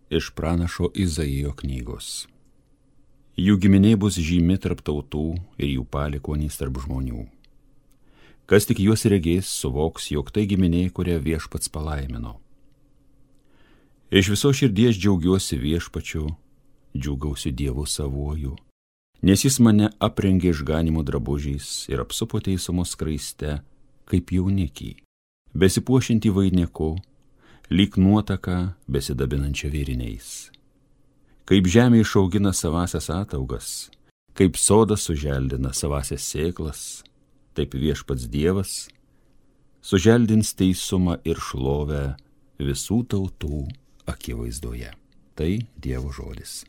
iš pranašo Izaijo knygos. Jų giminė bus žymi tarp tautų ir jų palikuonys tarp žmonių. Kas tik juos regės, suvoks, jog tai giminė, kurią Viešpats palaimino. Iš viso širdies džiaugiuosi Viešpačiu, džiūgausiu Dievu savuoju, nes jis mane aprengė išganimo drabužiais ir apsupo teisumo skraiste, kaip jaunikį, besipuošinti vainiku, lyg nuotaka besidabinančia vėriniais. Kaip žemė išaugina savasias ataugas, kaip sodas suželdina savasias sėklas, taip Viešpats Dievas suželdins teisumą ir šlovę visų tautų akivaizdoje. Tai Dievo žodis.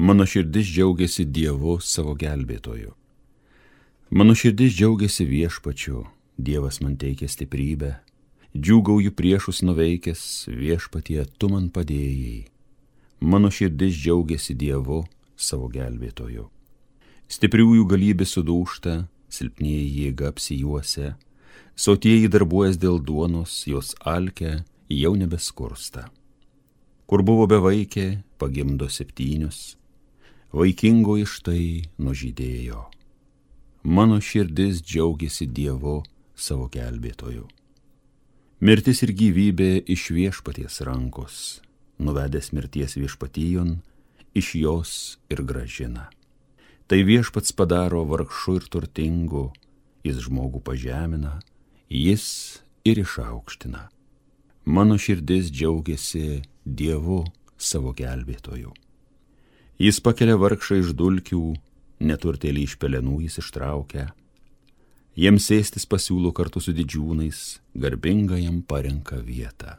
Mano širdis džiaugiasi Dievu savo gelbėtoju. Mano širdis džiaugiasi Viešpačiu, Dievas man teikia stiprybę. Džiūgauju priešus nuveikęs, Viešpatie, tu man padėjai. Mano širdis džiaugiasi Dievu savo gelbėtoju. Stipriųjų galybė sudūžta, silpnieji jėga apsijuosia, sotieji darbuojas dėl duonos, jos alkę jau nebeskursta. Kur buvo bevaikė, pagimdo 7, vaikingoji štai nužydėjo. Mano širdis džiaugiasi Dievu savo gelbėtoju. Mirtis ir gyvybė iš Viešpaties rankos, nuvedęs mirties viešpatijon, iš jos ir grąžina. Tai Viešpats padaro vargšu ir turtingu, jis žmogų pažemina, jis ir išaukština. Mano širdis džiaugiasi Dievu savo gelbėtoju. Jis pakelia vargšą iš dulkių, neturtėlį iš pelenų jis ištraukia. Jiems sėstis pasiūlo kartu su didžiūnais, garbinga jam parenka vietą.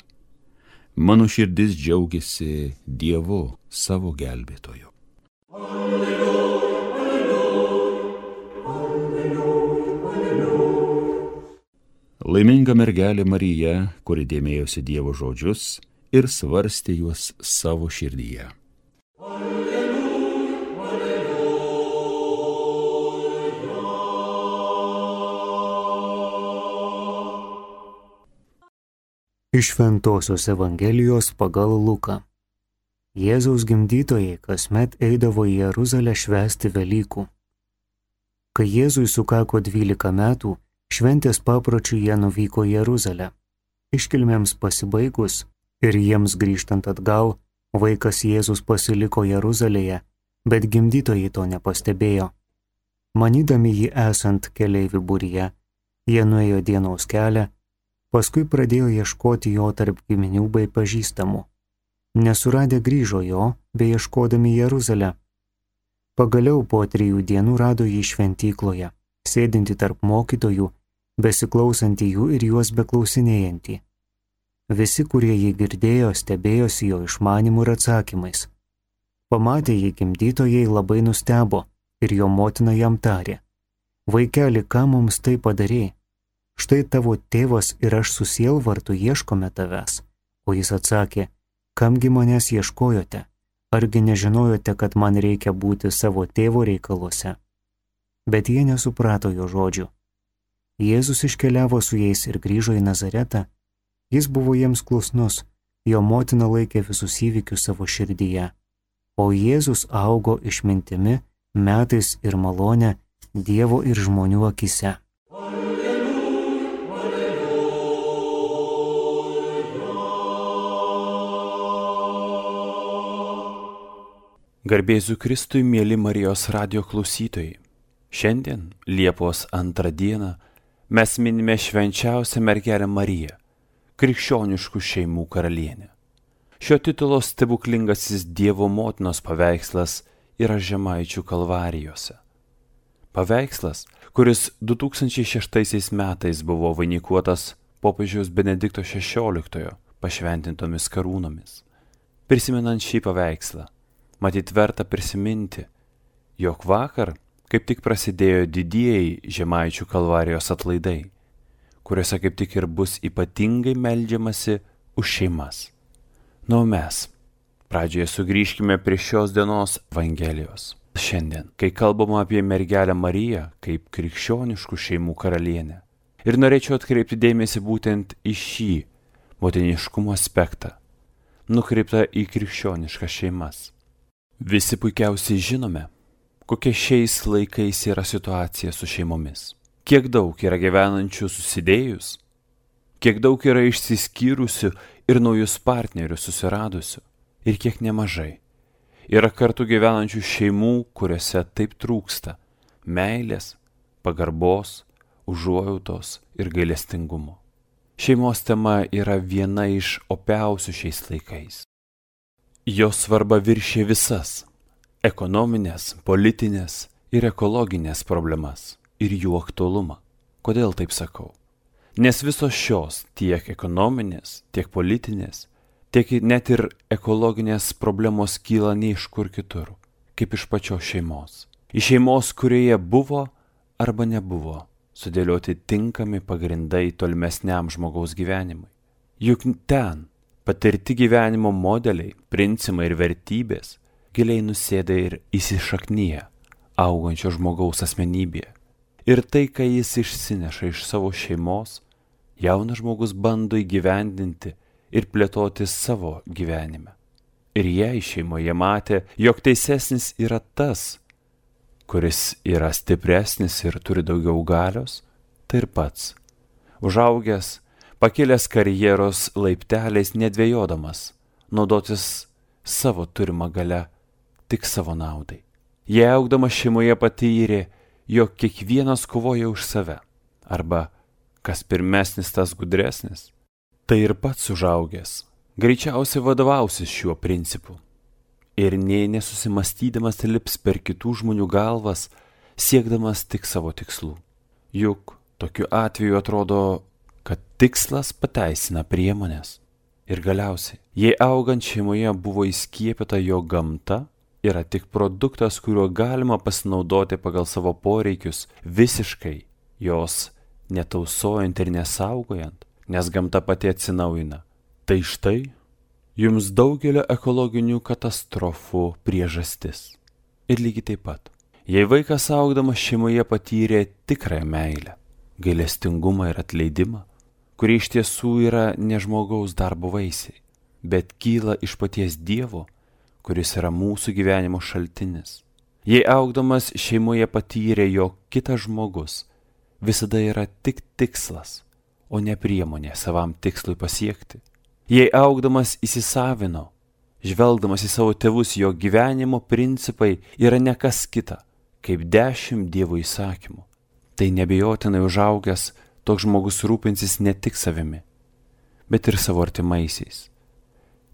Mano širdis džiaugiasi Dievu savo gelbėtoju. Alleluja, alleluja, alleluja, alleluja. Laiminga mergelė Marija, kuri dėmėjosi Dievo žodžius ir svarstė juos savo širdyje. Iš Šventosios Evangelijos pagal Luką. Jėzaus gimdytojai kasmet eidavo į Jeruzalę švęsti Velykų. Kai Jėzui sukako 12 metų, šventės papročiu jie nuvyko į Jeruzalę. Iškilmėms pasibaigus ir jiems grįžtant atgal, vaikas Jėzus pasiliko Jeruzalėje, bet gimdytojai to nepastebėjo. Manydami jį esant keleivių būryje, jie nuėjo dienos kelią, paskui pradėjo ieškoti jo tarp giminių bei pažįstamų. Nesuradę grįžo jo, bei ieškodami Jeruzalę. Pagaliau po 3 dienų rado jį šventykloje, sėdintį tarp mokytojų, besiklausantį jų ir juos beklausinėjantį. Visi, kurie jį girdėjo, stebėjosi jo išmanimu ir atsakymais. Pamatę jį gimdytojai labai nustebo ir jo motina jam tarė: Vaikeli, ką mums tai padarei? Štai tavo tėvas ir aš su sielvartu ieškome tavęs. O jis atsakė: Kamgi manęs ieškojote? Argi nežinojote, kad man reikia būti savo tėvo reikaluose? Bet jie nesuprato jo žodžių. Jėzus iškeliavo su jais ir grįžo į Nazaretą. Jis buvo jiems klusnus, jo motina laikė visus įvykius savo širdyje. O Jėzus augo išmintimi, metais ir malone Dievo ir žmonių akise. Garbėsiu Kristui, mėly Marijos radijo klausytojai. Šiandien, Liepos 2 dieną, mes minime švenčiausią mergelę Mariją, krikščioniškų šeimų karalienę. Šio titulo stebuklingasis Dievo motinos paveikslas yra Žemaičių Kalvarijose. Paveikslas, kuris 2006 metais buvo vainikuotas popiežiaus Benedikto XVI pašventintomis karūnomis. Prisimenant šį paveikslą, matyt verta prisiminti, jog vakar, kaip tik prasidėjo didieji Žemaičių Kalvarijos atlaidai, kuriuose kaip tik ir bus ypatingai meldžiamasi už šeimas. Na, o mes pradžioje sugrįžkime prie šios dienos Evangelijos. Šiandien, kai kalbama apie mergelę Mariją kaip krikščioniškų šeimų karalienę. Ir norėčiau atkreipti dėmesį būtent į šį motiniškumo aspektą, nukreiptą į krikščioniškas šeimas. Visi puikiausiai žinome, kokia šiais laikais yra situacija su šeimomis. Kiek daug yra gyvenančių susidėjus, kiek daug yra išsiskyrusių ir naujus partnerius susiradusių, ir kiek nemažai yra kartu gyvenančių šeimų, kuriuose taip trūksta meilės, pagarbos, užuojautos ir gailestingumo. Šeimos tema yra viena iš opiausių šiais laikais. Jos svarba viršė visas ekonominės, politinės ir ekologinės problemas ir jų aktualumą. Kodėl taip sakau? Nes visos šios, tiek ekonominės, tiek politinės, tiek net ir ekologinės problemos kyla ne iš kur kitur, kaip iš pačios šeimos. Iš šeimos, kurioje buvo arba nebuvo sudėlioti tinkami pagrindai tolimesniam žmogaus gyvenimui. Juk ten patirti gyvenimo modeliai, principai ir vertybės giliai nusėda ir įsišaknyja augančio žmogaus asmenybėje. Ir tai, ką jis išsineša iš savo šeimos, jaunas žmogus bando įgyvendinti ir plėtoti savo gyvenime. Ir jei šeimoje matė, jog teisesnis yra tas, kuris yra stipresnis ir turi daugiau galios, tai ir pats, užaugęs, pakilęs karjeros laipteliais nedvejodamas, naudotis savo turimą galią tik savo naudai. Jei augdamas šeimoje patyrė, jog kiekvienas kovoja už save, arba kas pirmesnis, tas gudresnis, tai ir pats užaugęs greičiausiai vadovausis šiuo principu ir nė nesusimastydamas lips per kitų žmonių galvas, siekdamas tik savo tikslų. Juk tokiu atveju atrodo, kad tikslas pateisina priemonės. Ir galiausiai, jei augant šeimoje buvo įskiepyta, jo gamta yra tik produktas, kuriuo galima pasinaudoti pagal savo poreikius, visiškai jos netausojant ir nesaugojant, nes gamta pati atsinaujina. Tai štai jums daugelio ekologinių katastrofų priežastis. Ir lygiai taip pat, jei vaikas augdamas šeimoje patyrė tikrąją meilę, gailestingumą ir atleidimą, kurie iš tiesų yra ne žmogaus darbo vaisiai, bet kyla iš paties Dievo, kuris yra mūsų gyvenimo šaltinis. Jei augdamas šeimoje patyrė, jog kitas žmogus visada yra tik tikslas, o ne priemonė savam tikslui pasiekti. Jei augdamas įsisavino, žvelgdamas į savo tėvus, jo gyvenimo principai yra ne kas kita, kaip 10 Dievo įsakymų, tai neabejotinai užaugęs toks žmogus rūpinsis ne tik savimi, bet ir savo artimaisiais.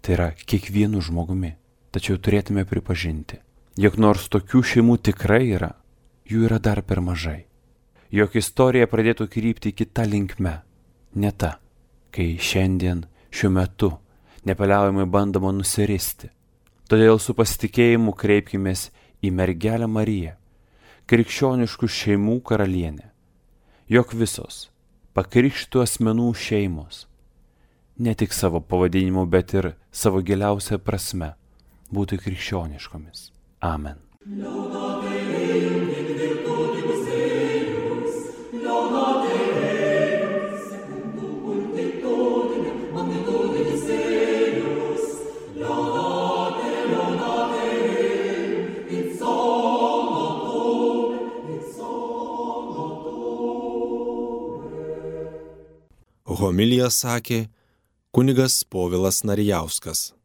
Tai yra kiekvienu žmogumi. Tačiau turėtume pripažinti, jog nors tokių šeimų tikrai yra, jų yra dar per mažai. Jog istorija pradėtų krypti kitą linkme, ne ta, kai šiandien, šiuo metu, nepaliaujamai bandoma nusiristi. Todėl su pasitikėjimu kreipkimės į mergelę Mariją, krikščioniškų šeimų karalienę, jog visos pakrikštytų asmenų šeimos, ne tik savo pavadinimu, bet ir savo giliausia prasme, būtų krikščioniškomis. Amen. Homiliją sakė kunigas Povilas Narijauskas.